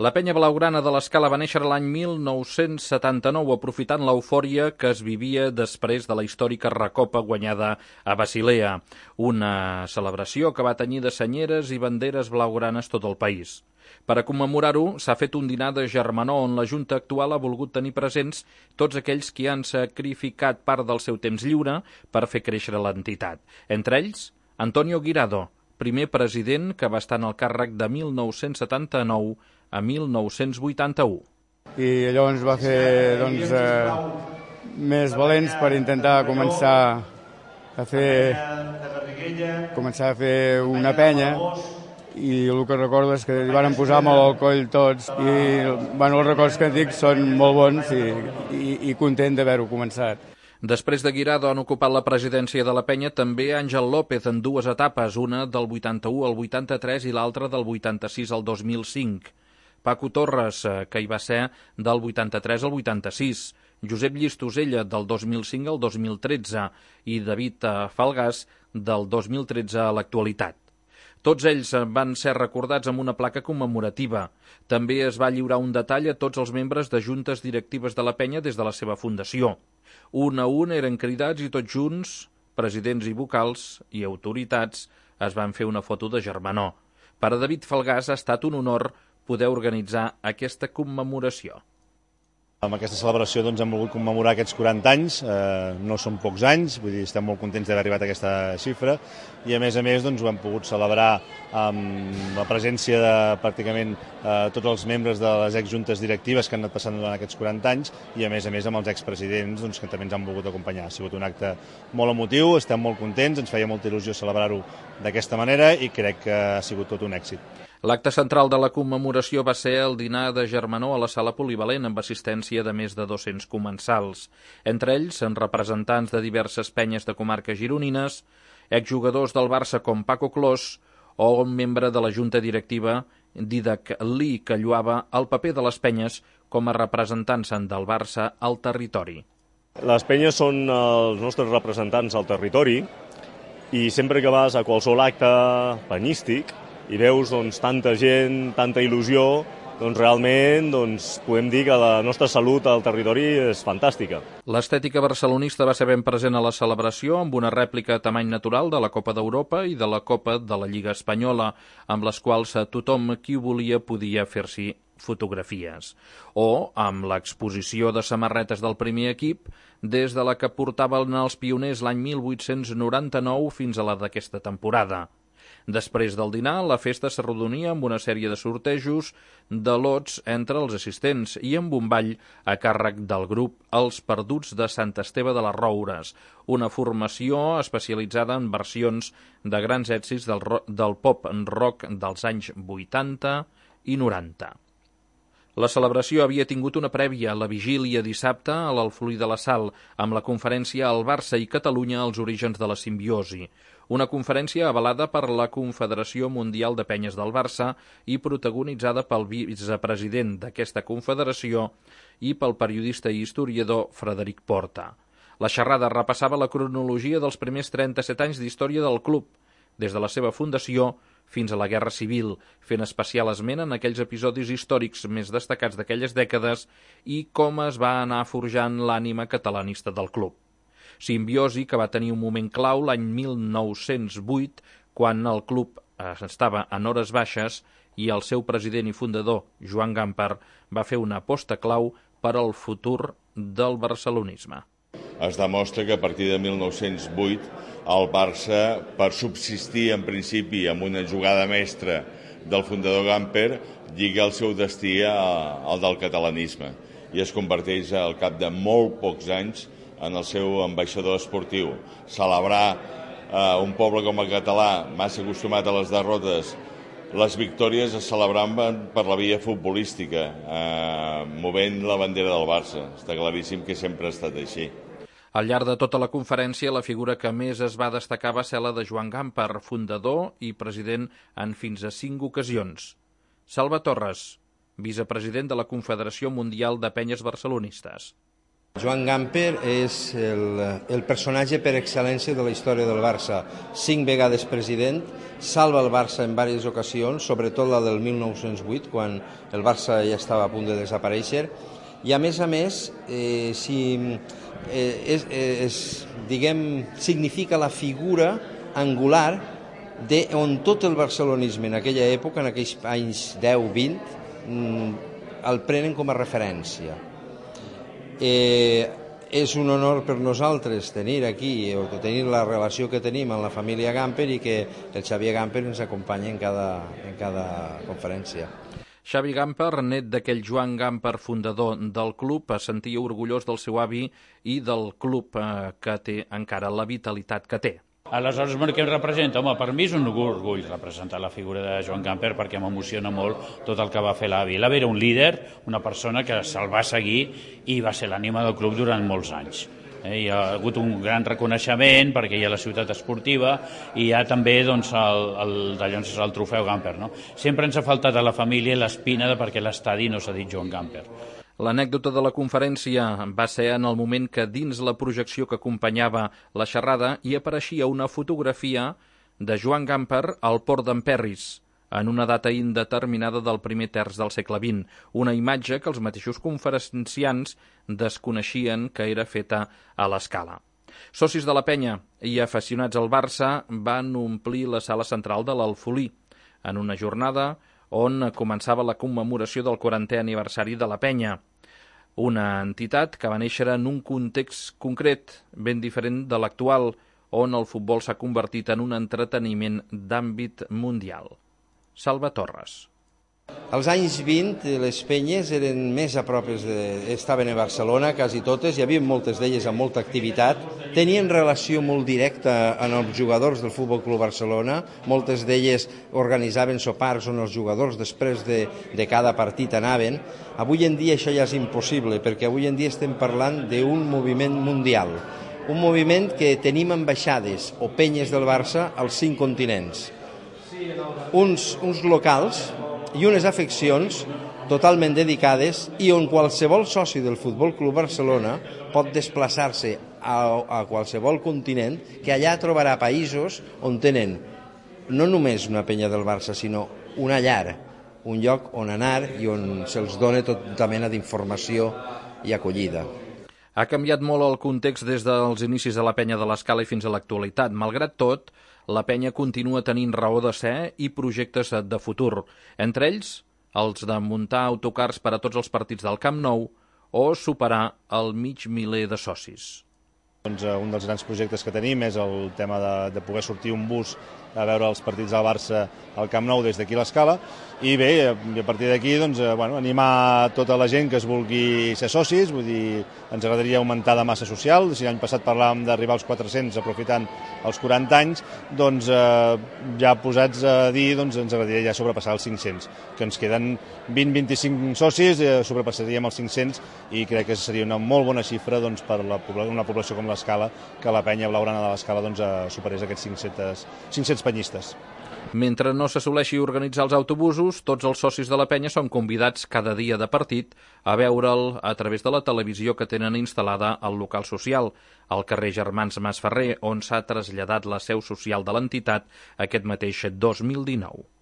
La penya blaugrana de l'Escala va néixer l'any 1979, aprofitant l'eufòria que es vivia després de la històrica recopa guanyada a Basilea, una celebració que va tenyir de senyeres i banderes blaugranes tot el país. Per a commemorar-ho, s'ha fet un dinar de germanor on la Junta actual ha volgut tenir presents tots aquells que han sacrificat part del seu temps lliure per fer créixer l'entitat. Entre ells, Antonio Guirado, primer president que va estar en el càrrec de 1979 a 1981. I allò ens va fer més valents per intentar començar a fer una penya, i el que recordo és que hi van posar molt al coll tots i els records que dic són molt bons i content d'haver-ho començat. Després de Guirado han ocupat la presidència de la penya també Àngel López en dues etapes, una del 81 al 83 i l'altra del 86 al 2005. Paco Torres, que hi va ser del 83 al 86, Josep Llistosella del 2005 al 2013 i David Falgàs del 2013 a l'actualitat. Tots ells van ser recordats amb una placa commemorativa. També es va lliurar un detall a tots els membres de juntes directives de la penya des de la seva fundació. Un a un eren cridats i tots junts, presidents i vocals i autoritats, es van fer una foto de germanor. Per a David Falgàs ha estat un honor poder organitzar aquesta commemoració. Amb aquesta celebració hem volgut commemorar aquests 40 anys, no són pocs anys, vull dir, estem molt contents d'haver arribat a aquesta xifra i a més ho hem pogut celebrar amb la presència de pràcticament tots els membres de les exjuntes directives que han anat passant durant aquests 40 anys i a més amb els expresidents que també ens han volgut acompanyar. Ha sigut un acte molt emotiu, estem molt contents, ens feia molta il·lusió celebrar-ho d'aquesta manera i crec que ha sigut tot un èxit. L'acte central de la commemoració va ser el dinar de germanor a la sala polivalent amb assistència de més de 200 comensals. Entre ells, representants de diverses penyes de comarques gironines, exjugadors del Barça com Paco Clos o un membre de la junta directiva, Didac Lee, que lluava el paper de les penyes com a representants del Barça al territori. Les penyes són els nostres representants al territori i sempre que vas a qualsevol acte penyístic i veus tanta gent, tanta il·lusió, realment podem dir que la nostra salut al territori és fantàstica. L'estètica barcelonista va ser ben present a la celebració amb una rèplica a tamany natural de la Copa d'Europa i de la Copa de la Lliga Espanyola, amb les quals tothom qui volia podia fer-s'hi fotografies. O amb l'exposició de samarretes del primer equip, des de la que portaven els pioners l'any 1899 fins a la d'aquesta temporada. Després del dinar, la festa s'arrodonia amb una sèrie de sortejos de lots entre els assistents i amb un ball a càrrec del grup Els Perduts de Sant Esteve de les Roures, una formació especialitzada en versions de grans èxits del pop-rock dels anys 80 i 90. La celebració havia tingut una prèvia, la vigília dissabte a l'Alfolí de la Sal, amb la conferència El Barça i Catalunya als orígens de la simbiosi, una conferència avalada per la Confederació Mundial de Penyes del Barça i protagonitzada pel vicepresident d'aquesta confederació i pel periodista i historiador Frederic Porta. La xerrada repassava la cronologia dels primers 37 anys d'història del club, des de la seva fundació fins a la Guerra Civil, fent especial esment en aquells episodis històrics més destacats d'aquelles dècades i com es va anar forjant l'ànima catalanista del club. Simbiosi que va tenir un moment clau l'any 1908, quan el club estava en hores baixes i el seu president i fundador, Joan Gamper, va fer una aposta clau per al futur del barcelonisme. Es demostra que a partir de 1908 el Barça, per subsistir en principi amb una jugada mestra del fundador Gamper, lliga el seu destí al del catalanisme i es converteix al cap de molt pocs anys en el seu ambaixador esportiu. Celebrar un poble com el català, massa acostumat a les derrotes, les victòries es celebraven per la via futbolística, movent la bandera del Barça. Està claríssim que sempre ha estat així. Al llarg de tota la conferència, la figura que més es va destacar va ser la de Joan Gamper, fundador i president en fins a 5 ocasions. Salva Torres, vicepresident de la Confederació Mundial de Penyes Barcelonistes. Joan Gamper és el personatge per excel·lència de la història del Barça. 5 vegades president, salva el Barça en diverses ocasions, sobretot la del 1908, quan el Barça ja estava a punt de desaparèixer, i a més, significa la figura angular on tot el barcelonisme en aquella època, en aquells anys 10-20, el prenen com a referència. És un honor per nosaltres tenir aquí, o tenir la relació que tenim amb la família Gamper i que el Xavier Gamper ens acompanya en cada conferència. Xavi Gamper, net d'aquell Joan Gamper, fundador del club, es sentia orgullós del seu avi i del club que té encara la vitalitat que té. Aleshores, què em representa? Home, per mi és un orgull representar la figura de Joan Gamper perquè m'emociona molt tot el que va fer l'avi. L'avi era un líder, una persona que se'l va seguir i va ser l'ànima del club durant molts anys. Hi ha hagut un gran reconeixement perquè hi ha la ciutat esportiva i hi ha també el trofeu Gamper. No? Sempre ens ha faltat a la família l'espina de perquè l'estadi no s'ha dit Joan Gamper. L'anècdota de la conferència va ser en el moment que dins la projecció que acompanyava la xerrada hi apareixia una fotografia de Joan Gamper al port d'Emperris, en una data indeterminada del primer terç del segle XX, una imatge que els mateixos conferenciants desconeixien que era feta a l'escala. Socis de la penya i aficionats al Barça van omplir la sala central de l'Alfolí, en una jornada on començava la commemoració del 40è aniversari de la penya, una entitat que va néixer en un context concret ben diferent de l'actual, on el futbol s'ha convertit en un entreteniment d'àmbit mundial. Salva Torres. Als anys 20 les penyes eren més a prop, estaven a Barcelona, quasi totes, hi havia moltes d'elles amb molta activitat, tenien relació molt directa amb els jugadors del Futbol Club Barcelona, moltes d'elles organitzaven sopars on els jugadors després de cada partit anaven. Avui en dia això ja és impossible, perquè avui en dia estem parlant d'un moviment mundial, un moviment que tenim ambaixades o penyes del Barça als 5 continents. Uns locals i unes afeccions totalment dedicades i on qualsevol soci del Futbol Club Barcelona pot desplaçar-se a qualsevol continent, que allà trobarà països on tenen no només una penya del Barça, sinó una llar, un lloc on anar i on se'ls dona tota mena d'informació i acollida. Ha canviat molt el context des dels inicis de la penya de l'Escala i fins a l'actualitat. Malgrat tot, la penya continua tenint raó de ser i projectes de futur, entre ells els de muntar autocars per a tots els partits del Camp Nou o superar el mig miler de socis. Un dels grans projectes que tenim és el tema de poder sortir un bus a veure els partits del Barça al Camp Nou des d'aquí a l'Escala, i bé, a partir d'aquí animar tota la gent que es vulgui ser socis, vull dir, ens agradaria augmentar la massa social. Si l'any passat parlàvem d'arribar als 400 aprofitant els 40 anys, doncs ja posats a dir, ens agradaria ja sobrepassar els 500, que ens queden 20-25 socis, sobrepassaríem els 500 i crec que seria una molt bona xifra per una població com l'Escala, que la penya blaugrana de l'Escala superés aquests 500 penyistes. Mentre no s'assoleixi organitzar els autobusos, tots els socis de la penya són convidats cada dia de partit a veure'l a través de la televisió que tenen instal·lada al local social, al carrer Germans Masferrer, on s'ha traslladat la seu social de l'entitat aquest mateix 2019.